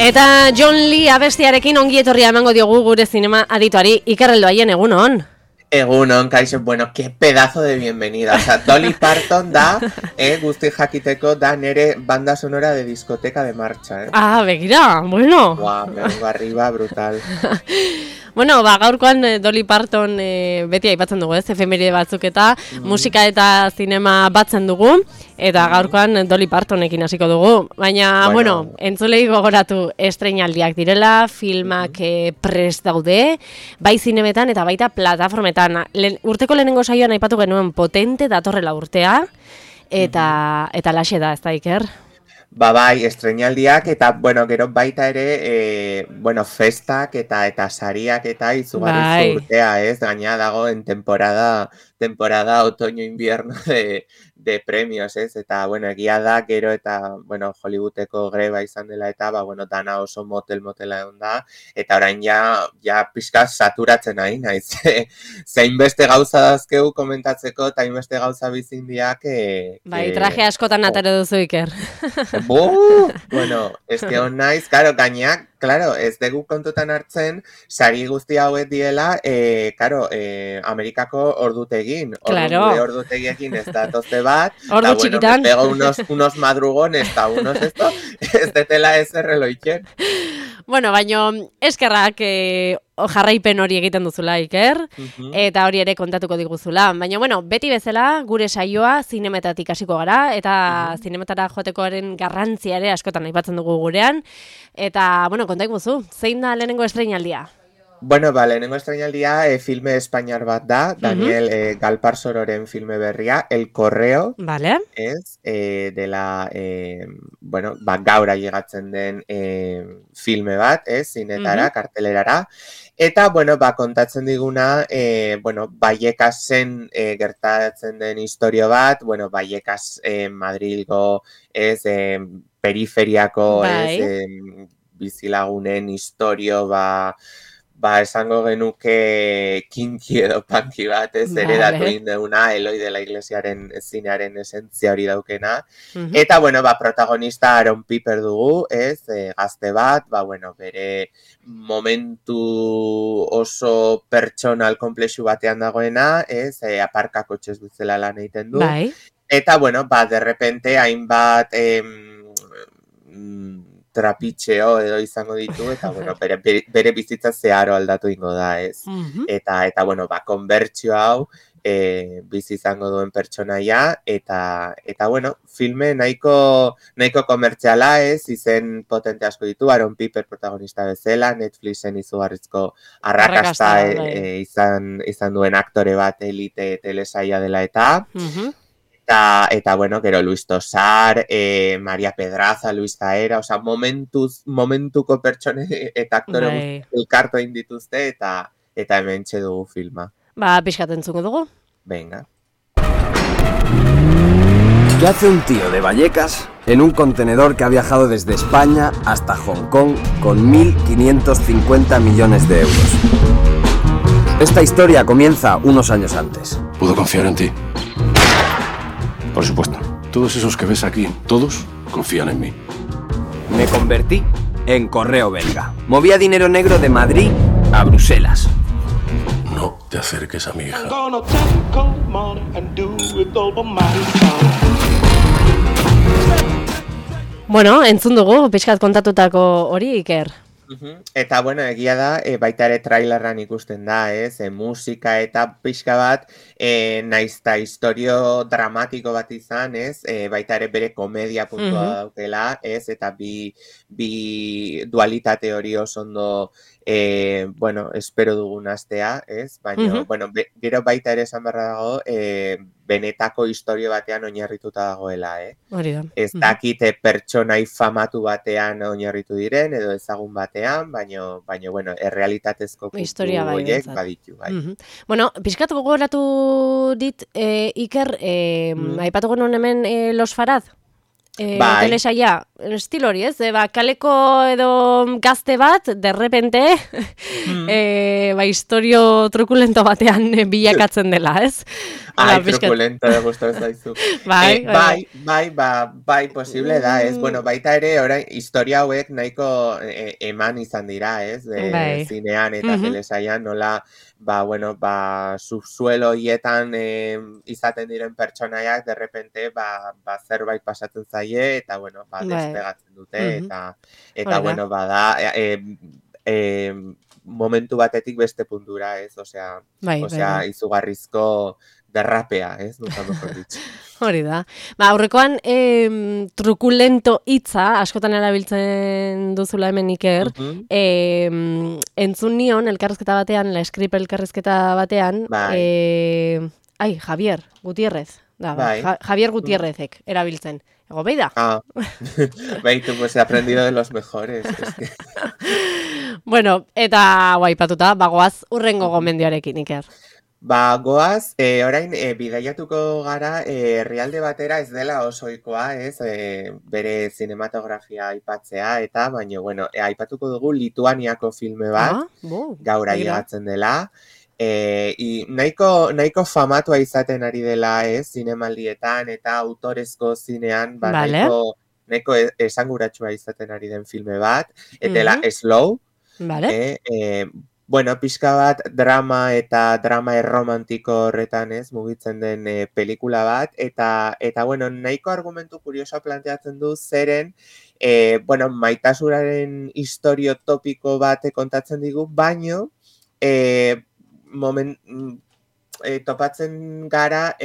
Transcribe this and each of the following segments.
Eta John Lee abestiarekin ongi etorria emango diogu gure zinema adituari. Iker Heldoaien, egunon. Egunon, kaixo, bueno, qué pedazo de bienvenida. O sea, Dolly Parton da, guzti jakiteko da nere banda sonora de discoteca de marcha, Ah, begira, bueno. Guau, me vengo arriba, brutal. Bueno, gaurkoan Dolly Parton beti aipatzen dugu, efemeride batzuk eta musika eta zinema batzen dugu, eta gaurkoan Dolly Partonekin hasiko dugu. Baina, bueno entzulei gogoratu estreinaldiak direla, filmak prest daude, bai zinemetan eta baita plataformetan. Urteko lehenengo saioan aipatu genuen potente datorrela urtea, eta laxe da, ez da, Iker? Bai, estreinaldiak eta, bueno, gero baita ere, festak eta sariak eta izugarrizko urtea, ez? Gaina dago en temporada otoño-invierno de premios, ez? Eta, bueno, egia da, gero eta, Hollywoodeko greba izan dela eta, dana oso motela egon da, eta orain ja pixka saturatzen nahi, naiz. Zein beste gauza dazkeu komentatzeko, eta hainbeste gauza bizindiak... Bai, traje askotan atero duzu, Iker. Bueno, ez que on naiz, gainak, ez dugu kontutan hartzen, sari guzti hauek diela, Amerikako ordutegin. Ordutegiekin ez datozte bat. Ordu txikitan. Me pego unos madrugones, eta unos ez detela ez erreloiken. Bueno, baino, eskerrak jarraipen hori egiten duzula, Iker, eta hori ere kontatuko diguzula. Baina, beti bezala, gure saioa zinemetatik hasiko gara, eta zinemetara joatekoaren garrantzia ere askotan aipatzen dugu gurean. Eta, konta iguzu, zein da lehenengo estreinaldia? Lehenengo estreinaldia filme espainiar bat da, Daniel Galparsororen filme berria, El Correo, ez, dela, gaur llegatzen den filme bat, ez, zinetara, kartelerara, eta, kontatzen diguna, Vallecasen gertatzen den historio bat, Vallecas Madrilgo, ez, periferiako, ez, bizilagunen historio, esango genuke kinki edo panki bat, ez, heredatu indeuna, Eloi de la Iglesiaren zinearen esentzia hori daukena. Eta, protagonista Aaron Piper dugu, ez, gazte bat, bere momentu oso pertsonal konplexu batean dagoena, ez, aparkako txez bezala lan egiten du. Eta, de repente, hainbat... trapitxeo edo izango ditu, eta, bere bizitza zeharo aldatu ingo da, ez. Eta, konbertsio hau bizi izango duen pertsonaia, eta, filme nahiko komertziala, ez, izen potente asko ditu, Aaron Piper protagonista bezala, Netflixen izugarrizko arrakasta izan duen aktore bat elite telesaia dela eta... Eta, gero Luis Tosar, Maria Pedraza, Luis Zaera, oza, momentuko pertsone eta aktore elkartu egin dituzte, eta hemen dugu filma. Pixkat entzuko dugu. Venga. ¿Qué hace un tío de Vallecas en un contenedor que ha viajado desde España hasta Hong Kong con 1.550 millones de euros? Esta historia comienza unos años antes. ¿Puedo confiar en ti? Por supuesto. Todos esos que ves aquí, todos confían en mí. Me convertí en correo belga. Movía dinero negro de Madrid a Bruselas. No te acerques a mi hija. Entzun dugu, pixkat kontatutako hori, Iker. Eta, egia da, baita ere trailerran ikusten da, ez, musika eta pixka bat, naizta historio dramatiko bat izan, ez, baita ere bere komedia puntua daukela, ez, eta bi dualitate hori oso ondo, espero dugun astea, ez, baina, gero baita ere esan barra dago, benetako historio batean oinarrituta dagoela, Hori da. Ez dakite pertsonai famatu batean oinarritu diren, edo ezagun batean, baina, errealitatezko puntu horiek baditu, bai. Pixkat gogoratu dit, Iker, aipatu genuen hemen Los Farad? Telesaia, estilo hori, ez? Kaleko edo gazte bat, derrepente, historio trukulento batean bilakatzen dela, ez? Trukulento da gustatu zaizu. Bai, posible da, ez? Bueno, baita ere, orain, historia hauek nahiko eman izan dira, ez? Zinean eta telesaian, nola, subsuelo hietan izaten diren pertsonaiak, derrepente, zerbait pasatzen zaie, eta, despegatzen dute, eta, momentu batetik beste puntura, ez? Osea, izugarrizko derrapea, ez? Nunca mejor dicho. Hori da. Aurrekoan trukulento hitza, askotan erabiltzen duzula hemen Iker, entzun nion, elkarrezketa batean, la Script elkarrezketa batean, Javier Gutiérrez. Javier Gutiérrezek erabiltzen. Ego, beida? Beitu, pues he aprendido de los mejores. Es que... Bueno, eta guaipatuta, bagoaz urrengo gomendioarekin, Iker. Goaz, orain, bidaiatuko gara, herrialde batera ez dela oso ohikoa, ez, bere zinematografia aipatzea, eta, baina, aipatuko dugu Lituaniako filme bat, gaur ailegatzen dela, nahiko famatua izaten ari dela, ez, zinemaldietan, eta autorezko zinean, nahiko esanguratsua izaten ari den filme bat, eta dela Slow, pixka bat drama eta drama erromantiko horretan, ez, mugitzen den pelikula bat, eta nahiko argumentu kuriosoa planteatzen du zeren, maitasunaren historio topiko bat kontatzen digu, baino, topatzen gara,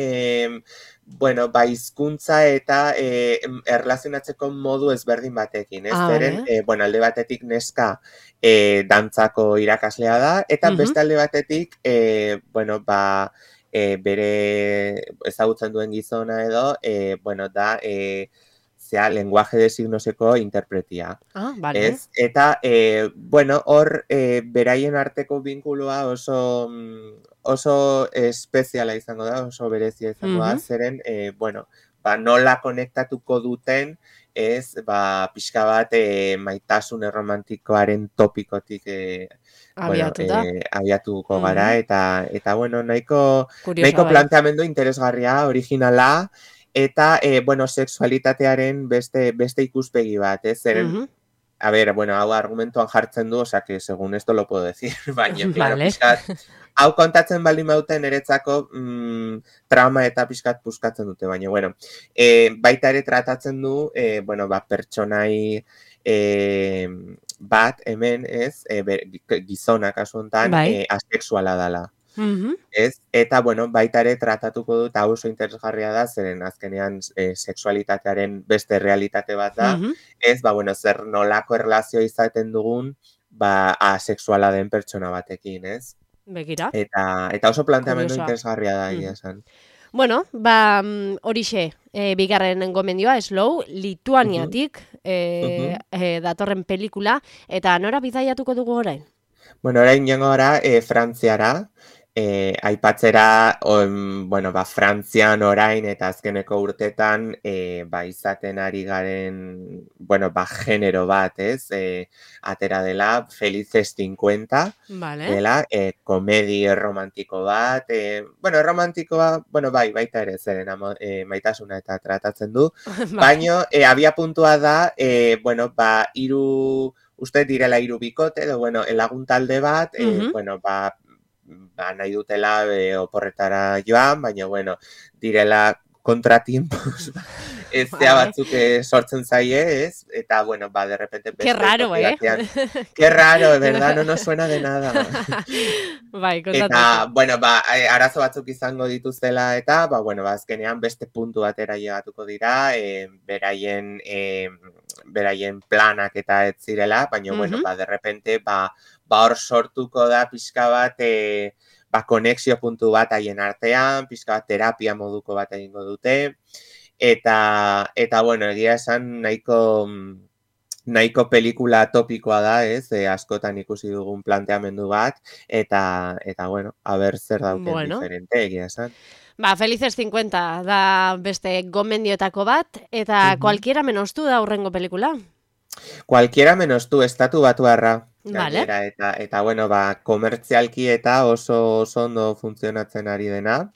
hizkuntza eta erlazionatzeko modu ezberdin batekin, ez? Zeren, alde batetik neska dantzako irakaslea da, eta beste alde batetik, bere ezagutzen duen gizona edo, da, lenguaje de signoseko interpretia. Ez? Eta, hor, beraien arteko binkuloa oso espeziala izango da, oso berezia izango da, zeren, nola konektatuko duten, ez, pixka bat maitasun erromantikoaren topikotik abiatuko gara, eta nahiko planteamendu interesgarria, originala, eta, sexualitatearen beste ikuspegi bat, ez, zeren, hau argumentuan jartzen du, osea, que según esto lo puedo decir, baina, claro, pixkat, hau kontatzen baldin bauten eretzako trama eta pixkat puskatzen dute, baina, baita ere tratatzen du, pertsonai bat, hemen, ez, gizona kasu honetan, asexuala dela. Ez? Eta, baita ere tratatuko dut, hau oso interesgarria da, zeren azkenean sexualitatearen beste realitate bat da, ez, zer nolako erlazio izaten dugun, asexuala den pertsona batekin, ez? Begira. Eta oso planteamendu interesgarria da, esan. Bueno, horixe, bigarren gomendioa, Slow, Lituaniatik datorren pelikula, eta nora bidaiatuko dugu orain? Orain jango gara Frantziara, aipatzera, Frantzian orain eta azkeneko urtetan, izaten ari garen, genero bat, ez, atera dela, Felices 50, dela, komedi romantiko bat, romantikoa, baita ere zeren maitasuna eta tratatzen du, baino, abia puntua da, uste direla 3 bikote, edo, lagun talde bat, nahi dutela oporretara joan, baina, direla kontratiempos, ez batzuk sortzen zaie, ez? Eta, de repente... Qué raro, Qué raro, verdad, no nos suena de nada. Eta, arazo batzuk izango dituztela, eta, azkenean beste puntu batera llegatuko dira, beraien planak eta ez zirela, baina, de repente, hor sortuko da pixka bat, konexio puntu bat haien artean, pixka bat terapia moduko bat egingo dute, eta egia esan nahiko nahiko pelikula topikoa da, ez, askotan ikusi dugun planteamendu bat, eta bueno, aber zer dauken diferente, egia esan. Felices 50 da beste gomendioetako bat, eta Cualquiera menos tú da hurrengo pelikula. Cualquiera menos tú, Estatu Batuarra. Vale. Eta bueno, komertzialki eta oso ondo funtzionatzen ari dena.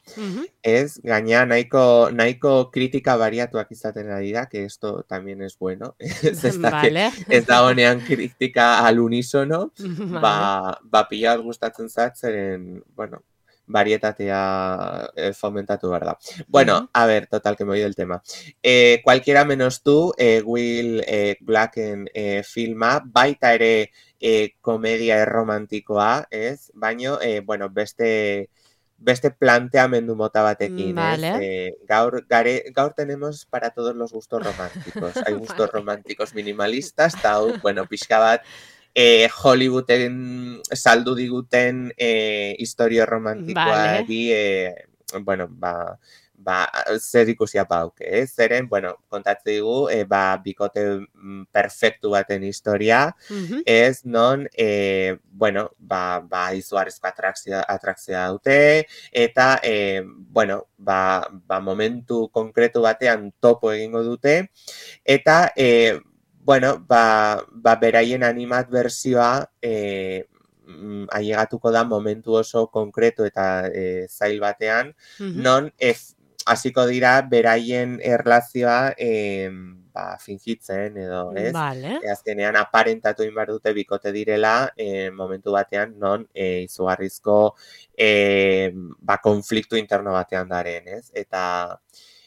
Ez, gaina nahiko kritika bariatuak izaten ari da, que esto también es bueno. Ez da honean kritika al unisono, pila gustatzen zatzeren, bueno, varietatea fomentatu behar da. Bueno, a ver, total, que me voy del tema. Cualquiera menos tú, Will Blacken filma, baita ere komedia romantikoa, ez? Baina, bueno, beste planteamendu mota batekin, ez? Gaur tenemos para todos los gustos románticos. Hay gustos románticos minimalistas, eta bueno, pixka bat, Hollywooden saldu diguten historio romantikoari, bueno, zer ikusia pauke, zeren, bueno, kontatze digu, bikote perfektu baten historia, ez non, bueno, izugarrizko atrakzioa dute, eta, bueno, momentu konkretu batean topo egingo dute, eta, bueno, beraien animat berzioa ailegatuko da momentu oso konkretu eta zail batean, non hasiko dira beraien erlazioa fingitzen edo, ez? Azkenean aparentatu egin behar dute bikote direla momentu batean non izugarrizko konfliktu interno batean daren, ez?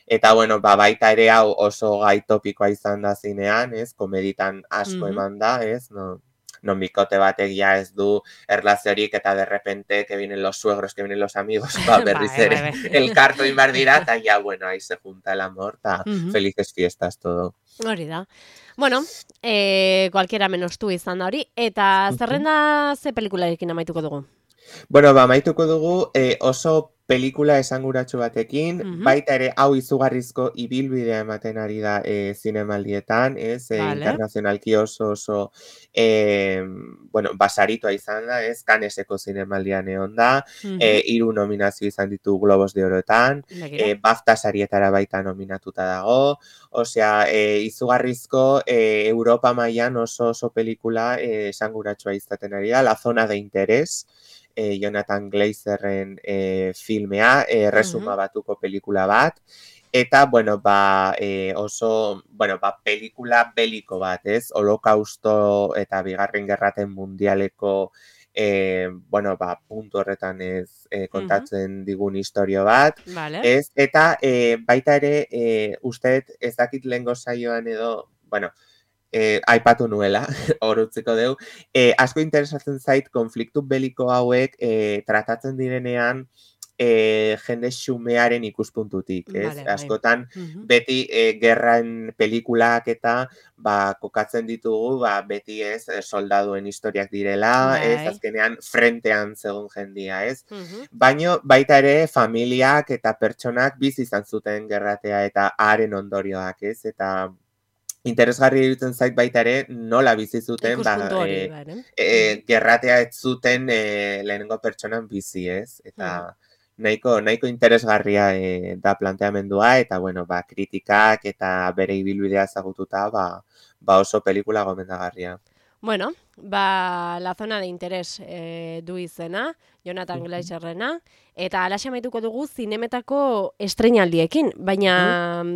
Eta bueno, baita ere hau oso gai topikoa izan da zinean, ez? Komeditan asko eman da, ez? Non bikote batek ja ez du erlaziorik eta de repente que vienen los suegros, que vienen los amigos, berriz ere elkartu inbar dira, eta ja, bueno, ahí se junta el amor, eta felices fiestas todo. Hori da. Bueno, cualquiera menos tú izan da hori, eta zerrenda ze pelikularekin amaituko dugu? Bueno, amaituko dugu oso pelikula esanguratsu batekin, baita ere hau izugarrizko ibilbidea ematen ari da zinemaldietan, ez, internazionalki oso, bueno, basaritua izan da, ez, Canneseko zinemaldian egon da, 3 nominazio izan ditu Globos de Oroetan, BAFTA sarietara baita nominatuta dago, osea, izugarrizko Europa mailan oso pelikula esanguratsua izaten ari da, La zona de interés, Jonathan Glazerren filmea, resuma batuko pelikula bat, eta, bueno, oso, bueno, pelikula beliko bat, ez? Holokausto eta Bigarren Gerraten Mundialeko, bueno, puntu horretan ez kontatzen digun historio bat, ez? Eta baita ere, usteet ez dakit lehengo saioan edo, bueno, aipatu nuela, hor utziko deu, asko interesatzen zait konfliktu beliko hauek tratatzen direnean jende xumearen ikuspuntutik, ez? Askotan beti gerran pelikulak eta kokatzen ditugu, beti ez soldaduen historiak direla, ez azkenean frentean zegoen jendia, ez? Baina baita ere familiak eta pertsonak bizi izan zuten gerratea eta haren ondorioak, ez? Eta interesgarri iruditzen zait baita ere nola bizi zuten gerratea ez zuten lehenengo pertsonan bizi, ez? Eta nahiko interesgarria da planteamendua eta bueno, kritikak eta bere ibilbidea ezagututa oso pelikula gomendagarria. Bueno, La zona de interés du izena, Jonathan Glazerrena, eta alaxe amaituko dugu zinemetako estreinaldiekin, baina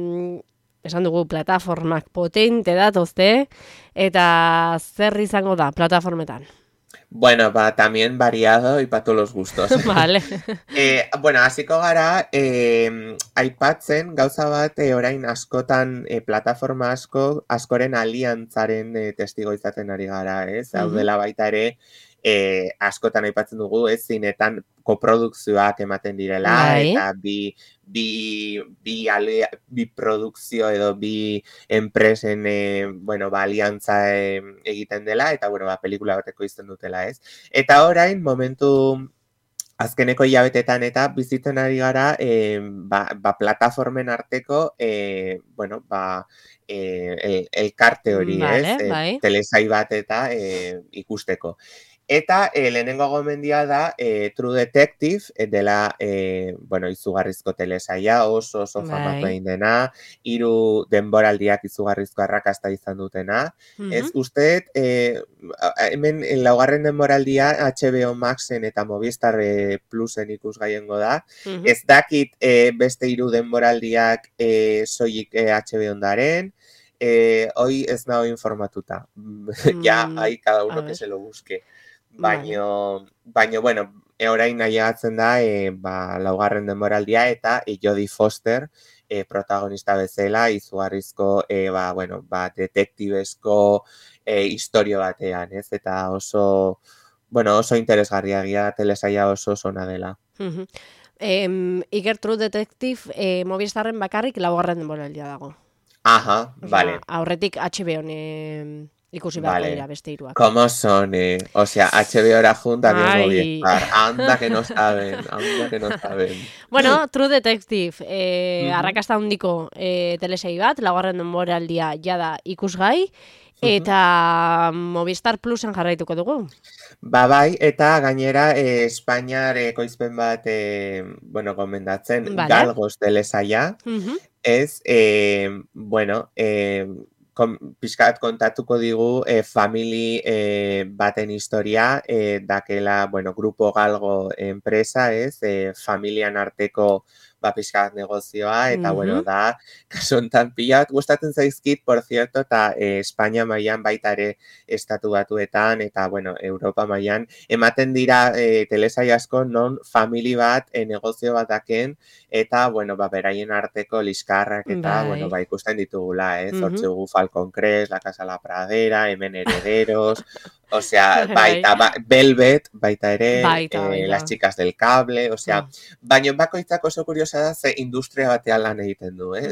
esan dugu plataformak potente datozte, eta zer izango da plataformetan? Bueno, también variado y para todos los gustos. Vale. Bueno, hasiko gara, aipatzen gauza bat orain askotan plataforma askoren aliantzaren testigo izaten ari gara, ez? Hau dela baita ere, askotan aipatzen dugu, ez, zinetan koprodukzioak ematen direla, eta bi produkzio edo bi enpresen, bueno, aliantza egiten dela, eta, bueno, pelikula bateko izten dutela, ez? Eta orain, momentu azkeneko hilabetetan eta bizitzen ari gara plataformen arteko elkarte hori, Vale, ez? bai. Telesail bat eta ikusteko. Eta lehenengo gomendia da True Detective, dela izugarrizko telesaila, oso famatu egin dena, 3 denboraldiak izugarrizko arrakasta izan dutena. Ez usteet, hemen laugarren denboraldia HBO Maxen eta Movistar Plusen ikusgaiengo da. Ez dakit beste 3 denboraldiak soilik HBO ondaren, hoy ez nago informatuta. Ja, hay cada uno que se lo busque. Baina, bueno, orain nahiatzen da, laugarren denboraldia eta Jodie Foster protagonista bezala, izugarrizko, detektibezko historio batean, ez? Eta oso interesgarria egia telesaila oso ona dela. Iker, True Detective Movistarren bakarrik laugarren denboraldia dago. Aha, vale. Aurretik HBO ikusi beharko dira beste 3. ¿Cómo son? O sea, HBO junta que Movistar. Anda que no saben, Bueno, True Detective, arrakasta handiko telesail bat, laugarren denboraldia jada ikusgai, eta Movistar Plusen jarraituko dugu. Bai, eta gainera Espainiar ekoizpen bat gomendatzen, Galgos telesaila, ez, pixkat kontatuko digu family baten historia, dakela, Grupo Galgo enpresa, ez, familian arteko pixkat negozioa, eta, da, kasu hontan pila bat gustatzen zaizkit, por cierto, eta Espainia mailan baita ere estatu batuetan, eta, Europa mailan, ematen dira telesail asko non family bat negozio bat daken, eta, beraien arteko liskarrak, eta, ikusten ditugula, ez, hortzugu Falcon Crest, La Casa la Pradera, Hemen Herederos, osea, Velvet, baita ere, Las Chicas del Cable, osea, baina bakoitzak oso kuriosa da ze industria batean lan egiten du, ez?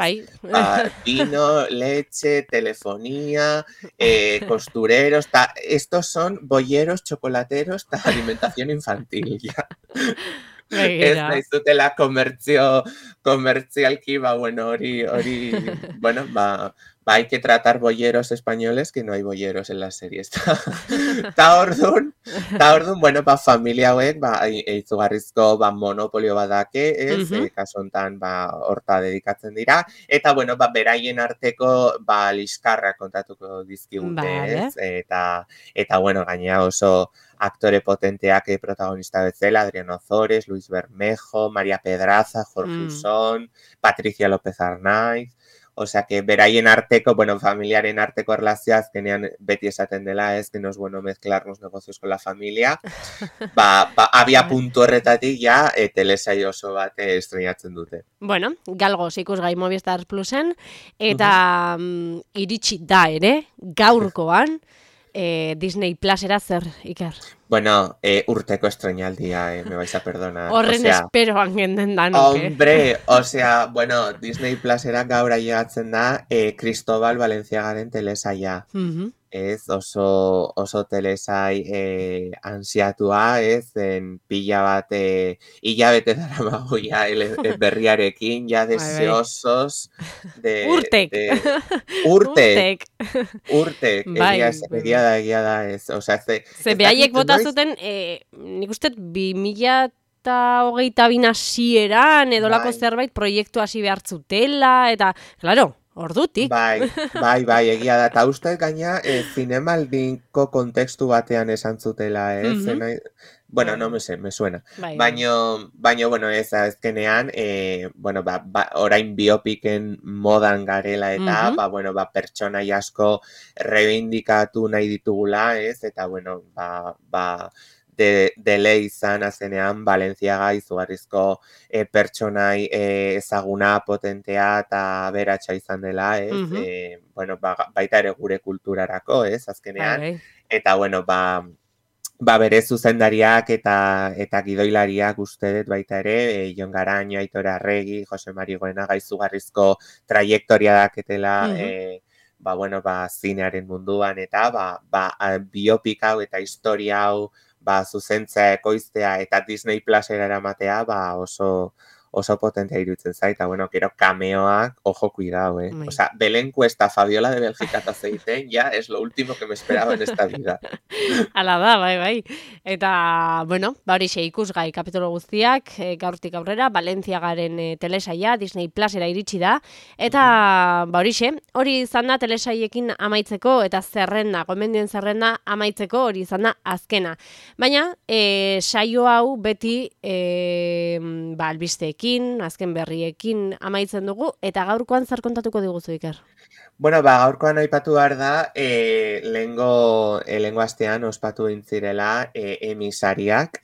Vino, leche, telefonía, costureros, estos son bolleros, chocolateros, alimentación infantil, ya. Ez nahiz dutela komertzialki, hay que tratar bolleros españoles que no hay bolleros en las series. Ta ordun, familia hauek, izugarrizko monopolio badake, ez, kasu hontan, horta dedikatzen dira, eta, beraien arteko, liskarrak kontatuko dizkigute, ez, eta, gainera oso aktore potenteak protagonista bezala, Adrián Ozores, Luis Bermejo, María Pedraza, Jorge Usón, Patricia López Arnaiz, osea, que beraien arteko, familiaren arteko erlazioa azkenean beti esaten dela, ez, que no es bueno mezclar los negocios con la familia, abia puntu horretatik ja, telesail oso bat estrenatzen dute. Galgos ikusgai Movistar Plusen, eta iritsi da ere, gaurkoan, Disney Plusera zer, Iker? Urteko estrenaldia, me vais a perdonar. Horren esperoan genden danuke. Hombre, osea, Disney Plusera gaur ailegatzen da Cristobal Valenciagaren telesaila. Ez, oso telesail ansiatua, ez, pila bat hilabete daramago ja berriarekin, ja deseosos de... Urtek, egia da, ez, osea, ze behaiek bota zuten, nik uste 2022 hasieran edolako zerbait proiektu hasi behar zutela, eta, claro, ordutik. Bai, egia da, eta uste gaina zinemaldinko kontekstu batean esan zutela, ez? No me sé, me suena. Baina, ez azkenean, orain biopiken modan garela eta, pertsonai asko reivindikatu nahi ditugula, ez? Eta, dele izan azenean Valenciaga izugarrizko pertsonai ezaguna, potentea eta beratxa izan dela, ez? Baita ere gure kulturarako, ez? Azkenean. Eta, bere zuzendariak eta gidoilariak uste dut baita ere, Jon Garaño, Aitor Arregi, Jose Mari Goenaga izugarrizko trajektoria daketela, zinearen munduan, eta biopik hau eta historia hau zuzentzea, ekoiztea eta Disney Plusera eramatea, oso potentea iruditzen zait, eta bueno, gero cameoak, ojo, cuidado, O sea, Belén Cuesta, Fabiola de Bélgica eta zeiten, ya es lo último que me esperaba en esta vida. Hala da, bai. Eta, bueno, horixe ikusgai kapitolo guztiak, gaurtik aurrera, Valentziagaren telesaia, Disney Plusera iritsi da, eta, horixe, hori izan da telesaiekin amaitzeko, eta gomendien zerrenda amaitzeko, hori izan da azkena. Baina, saio hau beti, albisteekin, azken berriekin amaitzen dugu, eta gaurkoan zer kontatuko diguzu, Iker? Bueno, gaurkoan aipatu behar da, lehengo astean ospatu dintzirela emisariak,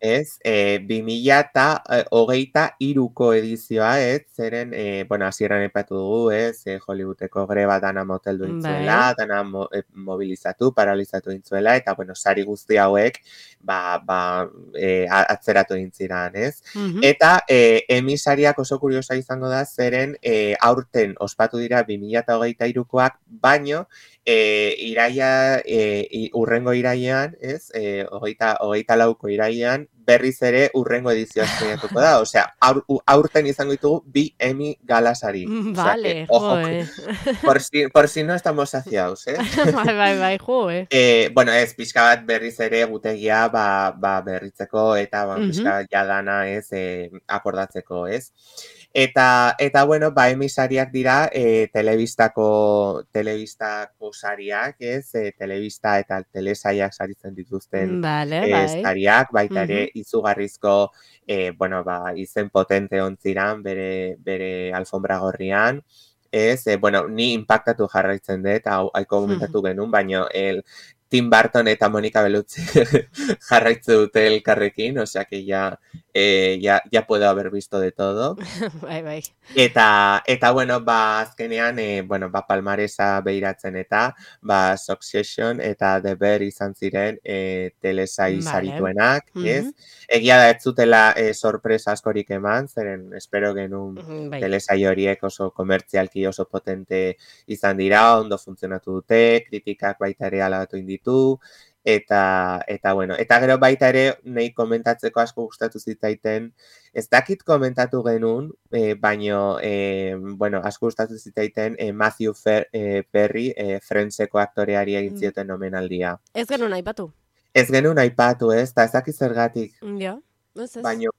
ez? 2023ko edizioa, ez? Zeren, hasieran aipatu dugu, ez? Hollywoodeko greba dana moteldu dintzuela, dana mobilizatu, paralizatu dintzuela, eta, sari guzti hauek, atzeratu dintziran, ez? Eta emisariak oso kuriosa izango da, zeren aurten ospatu dira 2023koak, baino urrengo irailean, ez? 24ko irailean, berriz ere urrengo edizioa estrenatuko da. Osea, aurten izango ditugu 2 Emmy galasari. Vale, por si no estamos saciados, eh? Bai, joe. Ez, pixka bat berriz ere gutegia berritzeko eta pixka bat jadana, ez, akordatzeko, ez? Eta emisariak dira telebistako sariak, ez? Telebista eta telesaiak saritzen dituzten sariak, baita ere izugarrizko izen potente ontziran bere alfombra gorrian, ez? Ni impactatu jarraitzen dut, haiko komentatu genuen, baina Tim Burton eta Monica Bellucci jarraitze dute elkarrekin, osea que ya puedo haber visto de todo. Bai. Eta azkenean, palmaresa behiratzen eta, Succession eta The Bear izan ziren telesai sarituenak, ez? Egia da ez zutela sorpresa askorik eman, zeren espero genuen telesai horiek oso komertzialki oso potente izan dira, ondo funtzionatu dute, kritikak baita ere alabatu inditu, eta gero baita ere nahi komentatzeko asko gustatu zitzaiten, ez dakit komentatu genuen, baino asko gustatu zitzaiten Matthew Perry, Friendseko aktoreari egin zioten omenaldia. Ez genuen aipatu. Ez genuen aipatu, ez, eta ez dakit zergatik. Ja, ez. Baino,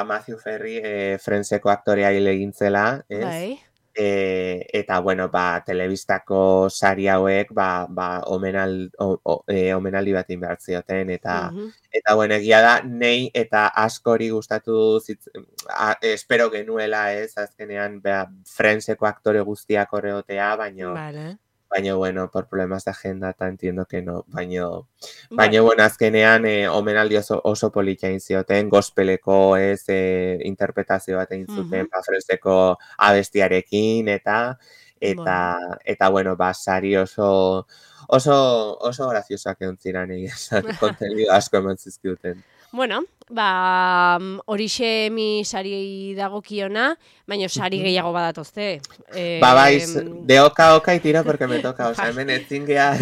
Matthew Perry, Friendseko aktoreari egin zela, ez? Bai. Eta, telebistako sari hauek, omenaldi bat behar zioten, eta, egia da, nei eta askori gustatu espero genuela, ez, azkenean, Friendseko aktore guztiak horreotea, baino, por problemas de agenda, entiendo que no, baino, azkenean, omenaldi oso polita egin zioten, gospeleko, ez, interpretazio bat egin zuten, Friendseko abestiarekin, eta sari oso graziosak egon ziren egin, kontenido asko eman zizkiuten. Bueno, horixe Emmy sari dagokiona, baina sari gehiago badatozte. De oka y tiro porque me toca, o sea, hemen ezin gea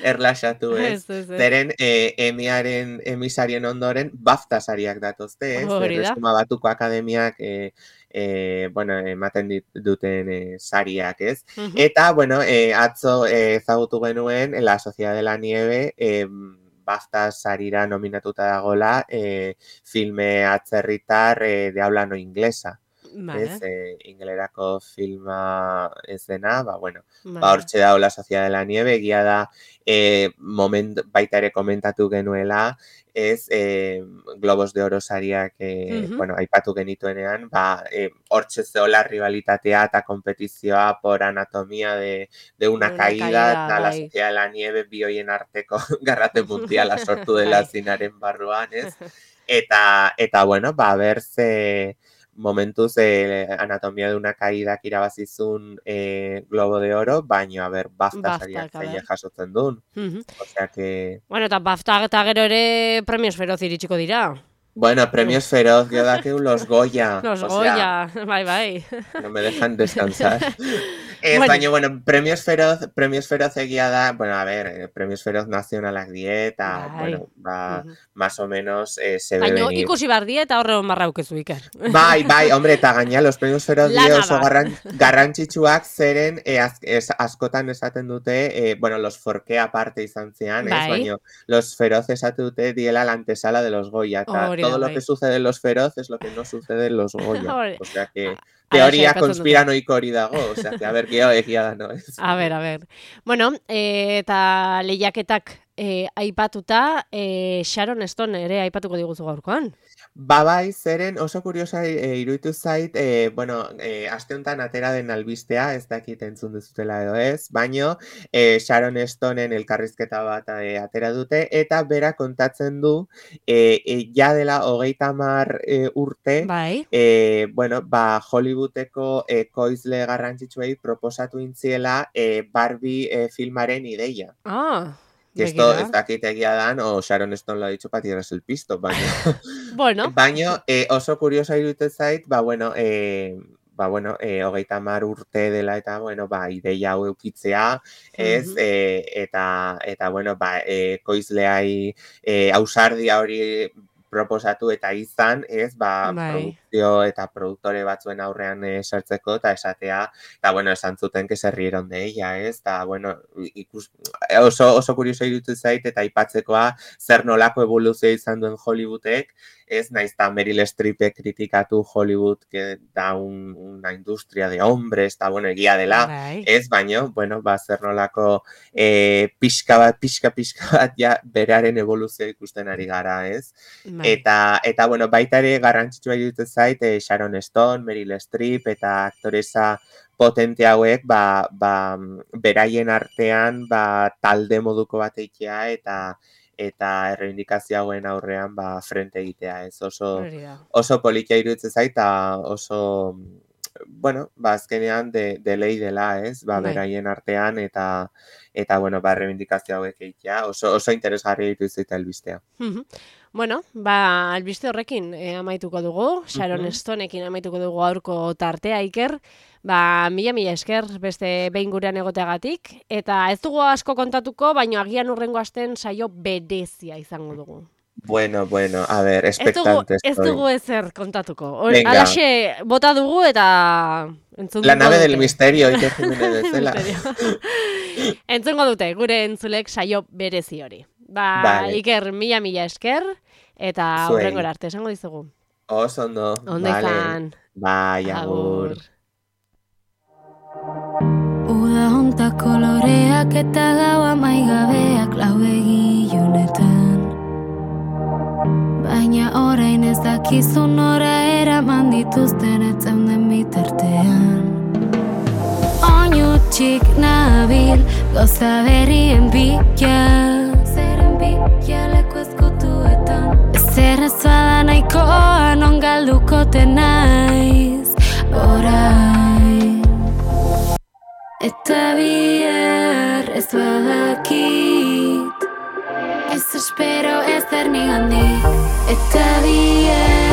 erlaxatu, ez? Zeren Emmy sarien ondoren BAFTA sariak datozte, ez? Erresuma Batuko Akademiak ematen duten sariak, ez? Eta, atzo ezagutu genuen La Sociedad de la Nieve, BAFTA sarira nominatuta dagoela filme atzerritar de habla no inglesa. Ez, inglerako filma ez dena, hortxe dago La Sociedad de la Nieve, egia da baita ere komentatu genuela, ez, Globos de Oro sariak aipatu genituenean, hortxe zeola rivalitatea eta kompetizioa por anatomía de una caída, eta La Sociedad de la Nieve bi hoien arteko garrate mundiala sortu dela zinaren barruan, ez? Eta berze momentuz anatomía de una caída irabazizun Globo de Oro, baina BAFTA sariak zeia jasotzen duen. Osea que... Eta BAFTA eta gero ere premios feroz iritsiko dira. Bueno, premios feroz, yo dakeu los Goya. Los Goya, bai. No me dejan descansar. Bueno, premios feroz egia da, bueno, a ver, premios feroz nazionalak dieta, bueno, más o menos se ve venir. Baina ikusi bar dieta horregon barra ukezu, Iker. Bai, hombre, eta gaina, los premios feroz die oso garrantzitsuak zeren askotan esaten dute, bueno, los Forqué aparte izan zean, baina los feroz esaten dute diela la antesala de los Goya, eta todo lo que sucede en los feroz es lo que no sucede en los Goya. O sea que teoria konspiranoiko hori dago, o sea que a ver, egia da, no es. A ver. Bueno, eta lehiaketak aipatuta, Sharon Stone ere aipatuko diguzu gaurkoan. Bai, zeren oso kuriosa iruditu zait, bueno, aste honetan atera den albistea, ez dakit entzun duzutela edo ez, baino Sharon Stoneen elkarrizketa bat atera dute, eta bera kontatzen du, ja dela 30 urte, bueno, Hollywoodeko koizle garrantzitsuei proposatu intziela Barbie filmaren ideia. Que esto ez dakit egia dan, o Sharon Stone lo ha dicho para tirarse el pisto, baina. Bueno. Baina oso kuriosa iruditzen zait, 30 urte dela eta, bueno, ideia hau eukitzea, ez, eta bueno, koizleai ausardia hori proposatu eta izan, ez, produkzio eta produktore batzuen aurrean sartzeko, eta esatea, eta, bueno, esan zuten que se rieron de ella, ez, eta, bueno, oso kurioso iruditzen zait, eta aipatzekoa zer nolako evoluzioa izan duen Hollywoodek, ez, naizta Meryl Streepek kritikatu Hollywood, que da una industria de hombres, eta, bueno, egia dela, ez, baino, bueno, zer nolako pixka bat, ja, beraren evoluzioa ikusten ari gara, ez, eta, bueno, baita ere garrantzitsua iruditzen zait, Sharon Stone, Meryl Streep, eta aktoresa potente hauek, beraien artean, talde moduko bat eitea, eta erreindikazio hauen aurrean, frente egitea, ez, oso politia iruditzen zait, eta oso, bueno, azkenean de lei dela, ez, beraien artean, eta, bueno, erreindikazio hauek eitea, oso interesgarri iruditzen zait albistea. Bueno, albiste horrekin amaituko dugu, Sharon Stoneekin amaituko dugu aurko tartea, Iker. Mila esker beste behin gurean egoteagatik, eta ez dugu asko kontatuko, baina agian hurrengo asten saio berezia izango dugu. Bueno, a ver, expectante estoy. Ez dugu ezer kontatuko. Alaxe bota dugu eta entzungo La nave del misterio, Iker Jimenez bezala. Entzungo dute, gure entzulek saio berezi hori. Iker, mila esker, eta hurrengora arte, esango dizugu. Oso ondo. Ondo izan. Bai, agur. Uda honta koloreak eta gaua maigabeak lau egilunetan. Baina orain ez dakizu nora eraman dituzten etzeunden bitartean. Oinutsik nabil goza berrien bila. Zeren bila leku ezkutuetan. Zer ez bada nahikoa non galdukote naiz orain. Eta bihar ez badakit, ez espero ez nigandik. Eta bihar